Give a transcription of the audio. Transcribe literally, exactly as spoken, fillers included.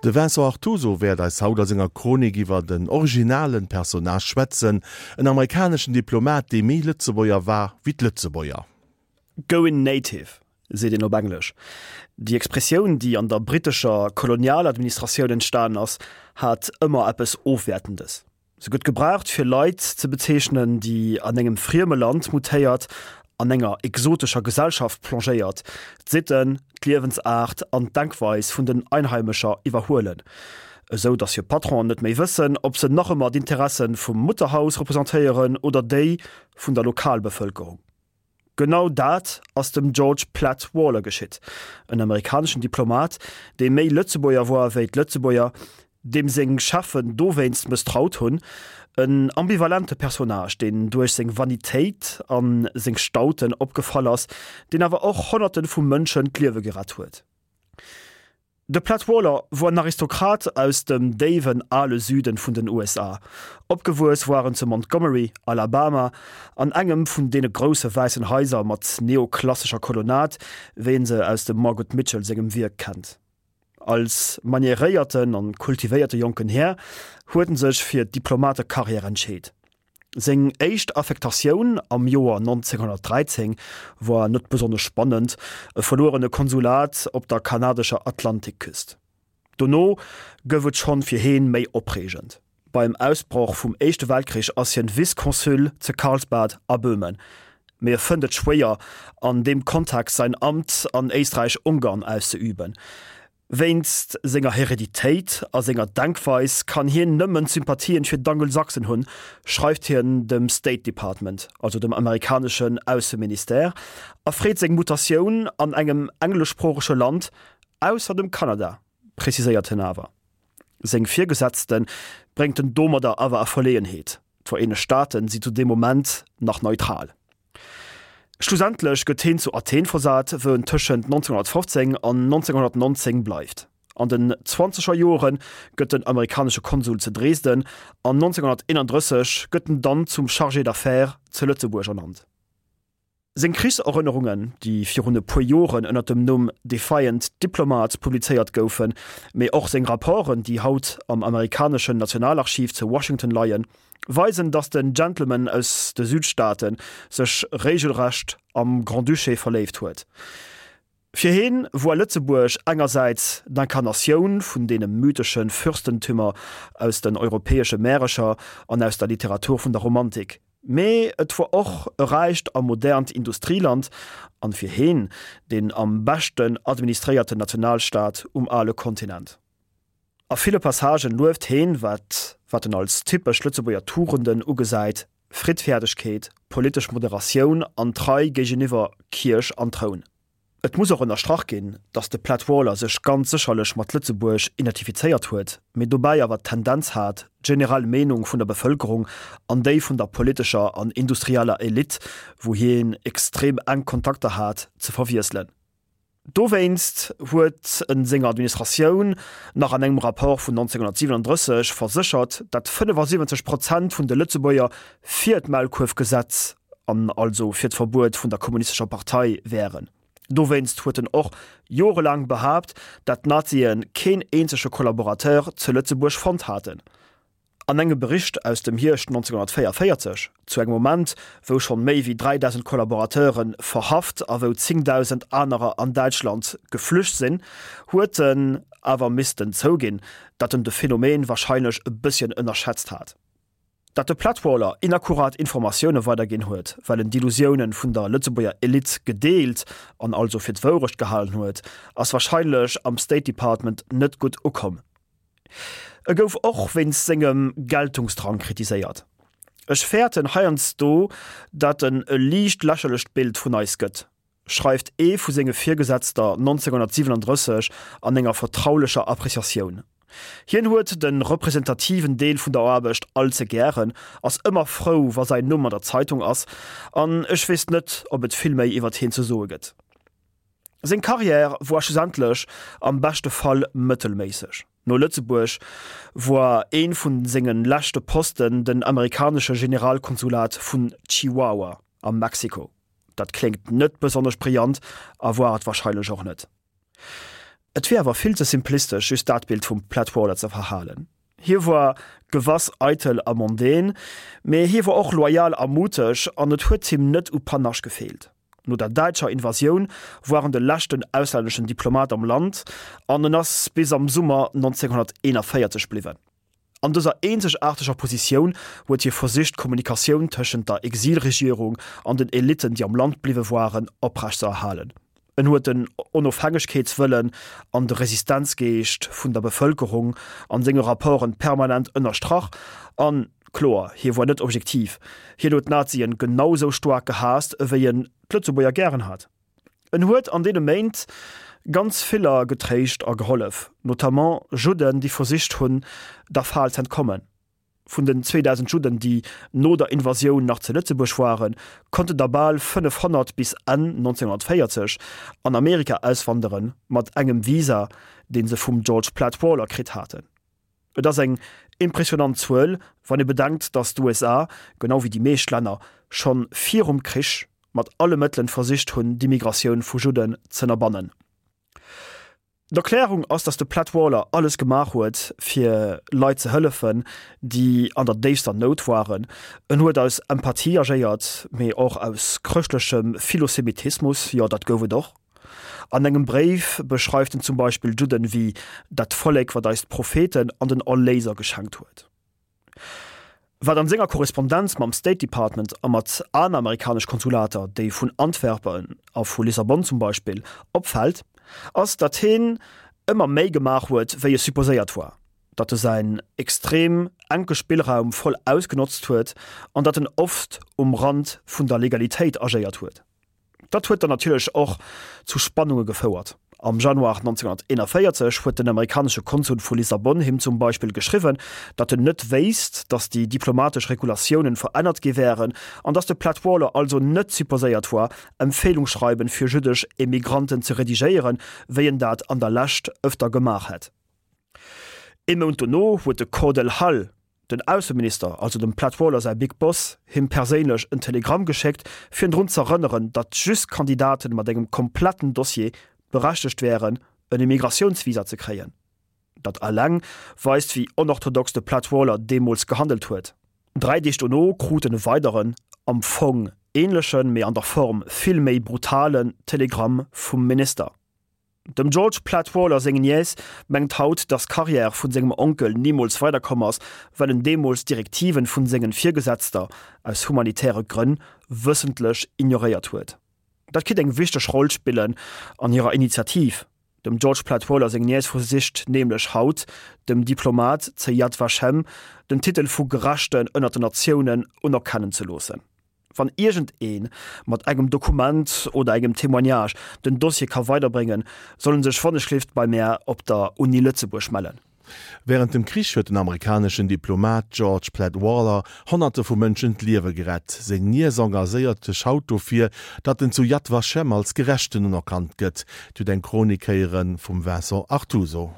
De Vincent Artuso wäert eis haut a senger Chronik iwwer den originalen Personnage schwätzen, en amerikaneschen Diplomat, dee méi Lëtzebuerger war wéi d'Lëtzebuerger. Going native, seet een op Englesch. Déi Expressioun, déi an der brittescher Kolonialadministratioun entstanen ass, hat ëmmer eppes Ofwäertendes. Se gëtt gebraucht fir Leit ze bezeechnen, déi an engem frieme Land mutéiert, an enger exotescher Gesellschaft plongéiert, d'Sitten, d'Liewensaart an d'Denkweis vun den Einheimescher iwwerhuelen, esou datt hir Patronen net méi wëssen, ob se nach ëmmer d'Interesse vum Mutterhaus representéieren oder déi vun der Lokalbevëlkerung. Genau dat ass dem George Platt Waller geschitt, en amerikaneschen Diplomat, dee méi Lëtzebuerger war wéi d'Lëtzebuerger, deem seng Cheffen dowéinst mësstraut hunn, en ambivalente Personnage, deen duerch seng Vanitéit a seng Stauten opgefall ass, deen awer och Honnerte vu Mënschen d'Liewe gerett huet. De Platt Waller wor en Aristokrat aus dem déiwen ale Süden vun den U S A. Opgewuess war en zu Montgomery, Alabama, an engem vun deene grousse wäissen Haiser mat neoklassescher Kolonnad, wéi een se aus dem Margaret Mitchell sengem Wierk kennt. Als manieréierten an kultivéierte jonken Här huet en sech fir d'Diplomatekarriär entscheet. Seng éischt Affektatioun am Joer nonzénghonnertdräizéng war net besonnesch spannend, e verluerene Konsulat op der kanadescher Atlantikküst. Dono gouf et schonn fir heen méi opreegend. Beim Ausbroch vum Éischte Weltkrich ass hien Vice-Consul ze Karlsbad a Böhmen. Mee e fënnt et schwéier, an deem Kontext säin Amt an Éisträich-Ungarn auszeüben. Wéinst senger Hereditéit a senger Denkweis kann hien nëmmen Sympathien fir d'Angelsachsen hunn, schreift hien dem State Department, also dem amerikaneschen Ausseministère, a freet seng Mutatioun an engem engleschsproochege Land, ausser dem Kanada, preziséiert hien awer. Seng Virgesetzte bréngt en domadder awer a Verleeënheet, d'Vereenegt Staaten si zu deem Moment nach neutral. Schlussendlech gëtt hien zu Athen versat, wou en tëschent nonzénghonnertfofzéng an nonzénghonnertnonzéng bleift. An den zwanzeger Jore gëtt en amerikanesche Konsul zu Dresden an nonzénghonnerteenandrësseg gëtt en dann zum Chargé d'affaires zu Lëtzebuerg ernannt. Seng Krichserënnerungen, déi virun e puer Joren ënner dem Numm Defiant Diplomat publizéiert goufen, mee och seng Rapporten, déi haut am amerikaneschen Nationalarchiv zu Washington leien, weisen, datt den Gentleman aus de Südstaate sech regelrecht am Grand-Duché verléift huet. Fir hien woar Lëtzebuerg engersäits d'Inkarnatioun vun deene mythesche Fürstentümer aus den europäesche Märecher an aus der Literatur vun der Romantik, mee et woar och e räicht a modernt Industrieland an fir hien deen am beschten administréierten Nationalstaat um ale Kontinent. A ville Passagen lueft heen, wat wat en als typesch Lëtzebuerger Tugenden ugesäit, Friddfäerdegkeet, politesch Moderatioun an Trei géigeniwwer Kierch an Troun. Et muss och ënnerstrach ginn, datt de Platt Waller sech ganz sécherlech mat Lëtzebuerg identifizéiert huet, mee dobäi awer d'Tendenz hat, d'generell Meenung vun der Bevëlkerung an déi vun der politescher an industrieller Elite, wou hien extrem enk Kontakter hat, ze verwiesselen. Dowéinst huet en senger Administratioun nach an engem Rapport vun nonzénghonnertsiwenandrësseg verséchert, dat fënnefasiwwenzeg Prozent vun de Lëtzebuerger fir d'Maulkuerfgesetz an also fir d'Verbuet vun der Kommunistescher Partei wären. Dowéinst huet en och jorelaang behaapt, dat d'Nazie keen eenzege Kollaborateur zu Lëtzebuerg fonnt haten. An engem Bericht aus dem Hierscht nonzénghonnertvéiervéierzeg, zu engem Moment, wou schonn méi wéi dräidausend Kollaborateure verhaft a wou zéngdausend anerer an Däitschland geflücht sinn, huet en awer missten zouginn, datt en de Phänomen warscheinlech e bësschen ënnerschätzt hat. Datt de Platt Waller inakkurat Informatioune weiderginn huet, well en d'Illusioune vun der Lëtzebuerger Elite gedeelt an also fir d'Wourecht gehalen huet, ass warscheinlech am State Department net gutt ukomm. E gouf och wéinst sengem Geltungsdrang kritiséiert. Ech fäerten heiansdo, datt en e liicht lächerlecht Bild vun eis gëtt, schreift ee vu senge Virgesetzter nonzénghonnertsiwenandrësseg an enger vertraulecher Appreciatioun. Hien huet de representativen Deel vun der Aarbecht all ze gären, ass ëmmer frou, wa säin Numm an der Zeitung ass, an ech weess net, ob et vill méi iwwert hien ze soe gëtt. Seng Karriär woar schlussendlech am beschte Fall mëttelméisseg. No Lëtzebuerg woar ee vun senge leschte Posten den amerikanesche Generalkonsulat vun Chihuahua a Mexiko. Dat kléngt net besonnesch brillant a woar et warscheinlech och net. Et wier awer vill ze simplistesch, just dat Bild vum Platt Waller ze verhalen. Hie war gewass eitel a mondän, mee hie war och loyal a muteg an et huet him net u Panache gefeelt. No der däitscher Invasioun war en de leschten auslänneschen Diplomat am Land an en ass bis am Summer neunzehnhunderteenundvierzeg bliwwen. An dëser eenzegaarteger Positioun huet hie versicht d'Kommunikatioun tëschent der Exilregierung an den Elitten, déi am Land bliwwe waren, oprecht ze erhalen. En huet den Onofhängegkeetswëllen an de Resistenzgeescht vun der Bevëlkerung an senge Rapporten permanent ënnerstrach. An, kloer, hie war net objektiv, hien huet d'Nazien genau sou staark gehaasst, ewéi en d'Lëtzebuerger gären hat. En huet an deene Méint ganz viller getréischt a gehollef, notamment Judden, déi versicht hunn, der Fal z'entkommen. Vun den zweedausend Judden, déi no der Invasioun nach zu Lëtzebuerg waren, konnten der bal fënnefhonnert bis Enn neunzehnhundertvéierzeg an Amerika auswanderen, mat engem Visa, dee se vum George Platt Waller kritt haten. Et ass eng impressionant Zuel, wann ee bedenkt, datt d'USA, genau wéi déi meescht Länner, schonn virum Krich mat alle Mëttelen versicht hunn, d'Immigratioun vu Judden z'ënnerbannen. D'Erklärung ass, datt de Platt Waller alles gemaach huet, fir Leit ze hëllefen, déi an der déifster Nout waren. En huet aus Empathie agéiert, mee och aus chrëschtlechem Philosemitismus, jo, dat gouf et och. An engem Bréif beschreift en zum Beispill d'Judden wéi dat Vollek, wat eis d'Propheten an den Erléiser geschenkt huet. Wat an senger Korrespondenz mam State Department a mat aner amerikanesch Konsulater, déi vun Antwerpen a vu Lissabon zum Beispill, opfält, ass, datt hien ëmmer méi gemaach huet, wéi e supposéiert war, datt e säin extrem enke Spillraum voll ausgenotzt huet an datt en oft um Rand vun der Legalitéit agéiert huet. Dat huet dann natierlech och zu Spannunge gefouert. Am Januar neunzehnhunderteenundvéierzeg huet den amerikanesche Konsul vu Lissabon him zum Beispill geschriwwen, datt en net wéisst, datt déi diplomatesch Regulatiounen verännert gi wären an datt de Platt Waller also net supposéiert war, Empfehlungsschreiben fir jüddesch Emigranten ze redigéieren, wéi en dat an der Lescht ëfter gemaach hätt. Ee Mount dono huet de Cordell Hull, den Ausseminister, also dem Platt Waller säi Big Boss, him perséinlech en Telegramm geschéckt, fir en drun z'erënneren, datt just Kandidaten mat engem kompletten Dossier berechtegt wären, en Immigratiounsvisa ze kréien. Dat eleng weist, wéi onorthodox de Platt Waller deemools gehandelt huet. Dräi Deeg dono krut en e weideren, am Fong änlechen, mee an der Form vill méi brutalen Telegramm vum Minister. Dem George Platt Waller seng Nièce mengt haut, dass d'Karriär vun sengem Onkel nimools weiderkomm ass, well en deemools d'Direktiven vun sengen Virgesetzter aus humanitäre Grënn wëssentlech ignoréiert huet. Dat kritt eng wichteg Roll spillen an hirer Initiativ. Dem George Platt Waller seng Nièce versicht nämlech haut, dem Diplomat ze Yad Vashem den Titel vu Gerechten ënnert den Natiounen unerkennen ze loossen. Wann iergend een mat engem Dokument oder engem Témoignage den Dossier ka weiderbréngen, soll en sech wannechgelift bei mär op der Uni Lëtzebuerg mellen. Wärend dem Krich huet den amerikaneschen Diplomat George Platt Waller Honnerte vu Mënschen d'Liewe gerett. Seng Niess engagéiert sech haut dofir, datt en zu Yad Vashem als Gerechten unerkannt gëtt. Dir hutt eng Chronik héiere vum Vincent Artuso.